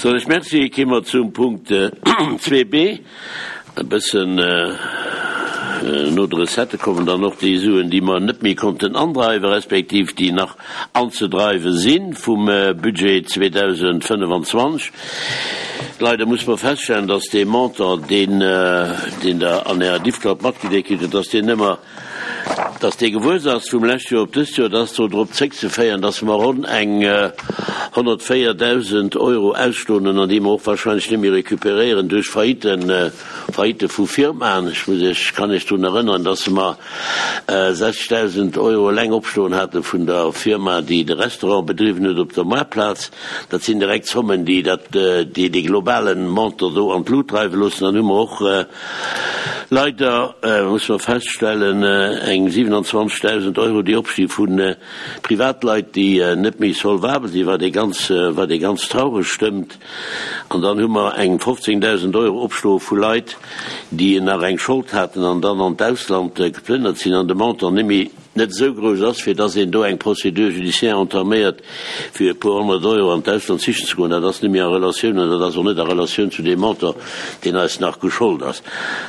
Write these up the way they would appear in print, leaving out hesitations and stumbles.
Soen ech Merci. Gi mer zum Punkt 2b. E bëssen no de Recettë kommen dann och déi Suen, déi mer net méi konnten andreiwen, respektiv déi nach anzedreiwe si vum Budget 2025. Leider muss mer feststellen, dass dee Montant, deen Der an Ärer Diffcloud matgedeelt kritt hutt, dass deen ëmmer, dass dee gewuess ass vum lescht Joer op dëst Joer. Dat ass do drop zréckzeféieren, dass mer ronn eng 104.000 Euro ausstoen hunn an déi mer och wahrscheinlech net méi recuperéieren duerch Faillitten, Faillite vu Firmaen. Ech muss Iech, kann Iech drun erënneren, dass mer 60.000 Euro eleng opstoen hate vun der Firma, déi de Restaurant bedriwwen huet op der Moartplaz. Dat sinn direkt Zommen, déi dat, déi dee globalen Montant do an d'Lut dreiwe loossen. Dann hu mer och leider, muss mer feststellen, eng 27.000 Euro, déi opsti vu Privatleit, déi net méi solvabel sinn, wat ee ganz, wat ee ganz traureg stëmmt. An dann hu mer eng 15.000 Euro opstoe vu Leit, déi nach eng Schold haten an dann an d'Ausland geplënnert sinn an de Montant net méi, net esou grouss ass, fir dass een do eng Procédure judiciaire entaméiert, fir e puer 100 Euro an d'Ausland sichen ze goen. Dat ass net méi a Relatioun an dat ass och net a Relatioun zu deem Montant, deen eis nach geschollt ass.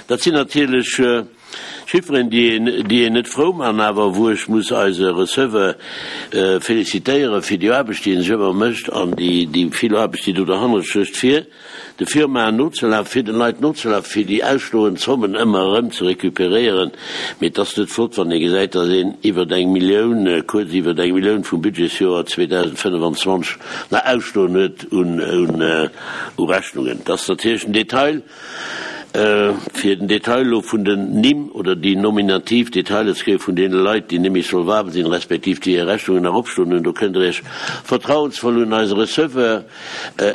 Dat sinn natierlech Chifferen, déi een, déi een net frou man, awer wou ech muss eise Receveur félicitéiere fir déi Aarbecht, déi en sech ëmmer mécht an déi, déi vill Aarbecht, déi do derhannert stécht, fir de Firmaen nozelafen, fir den Leit nozelafen, fir déi ausstoend Zommen ëmmer erëm ze recuperéieren. Mee et ass net flott, wann ee gesäit, datt een iwwert eng Millioun, kuerz iwwert eng Millioun vum Budgetsjoer 2025 nach ausstoen huet un u Rechnungen. Et ass natierlech den Detail, fir den Detail elo vun den Nimm oder déi nominativ Detailer ze kréie vun deene Leit, déi net méi solvabel sinn, respektiv déi hir Rechnungen nach opstoen hunn, do kënnt Der Iech vertrauensvoll un eise Receveur,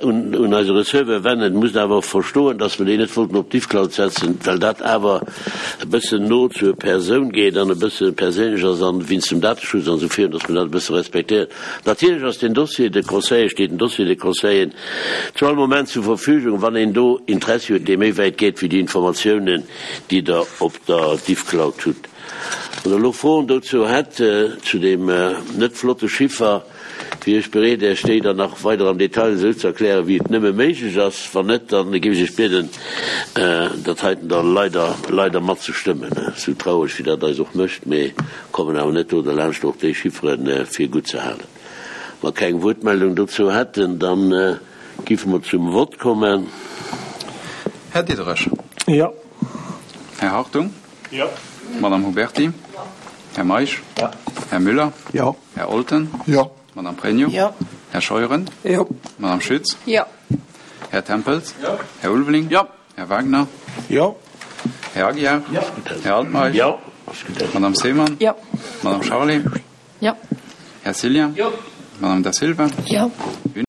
un eise Receveur wennen. Musst awer och verstoen, dass mer déi net wollten op d'Diffcloud setzen, well dat awer e bëssen no zur Persoun geet an e bësse perséinlech ass an wéinst dem Dateschutz an esou virun, dass mer dat e bësse respektéieren. Natierlech ass den Dossier de conseil, steet den Dossier de conseil zu all Moment zur Verfügung, wann een do Interessi huet, dee méi wäit geet wéi déi Informatiounen, déi Der op der Diffcloud hutt. Wann Der elo Froen dozou hätt, zu deem net flotte Chiffer, wier ech bereet, Äech déi dann nach weider am Detail esou ze erklären, wéi et nëmme méiglech ass. Wann net, da géif ech Iech bieden, dat heiten da leider, leider matzestëmmen, esou traureg wéi dat eis och mécht. Mee kommen awer net do derlaanscht, och déi Chiffere fir gutt ze halen. Wa keng Wuertmeldung dozou hätten, da giffe mer zum Vott kommen. Här Diderich. Jo. Här Hartung. Jo. Madame Huberti. Jo. Här Meisch. Jo. Här Müller. Jo. Här Olten. Jo. Madame Pregno. Jo. Här Scheuren. Jo. Madame Schütz. Jo. Här Tempels. Jo. Här Ulveling. Jo. Här Wagner. Jo. Här Aguiar. Jo. Här Altmeisch. Jo. Madame Seemann. Jo. Madame Charlé. Jo. Här Cillien. Jo. Madame Da Silva. Jo.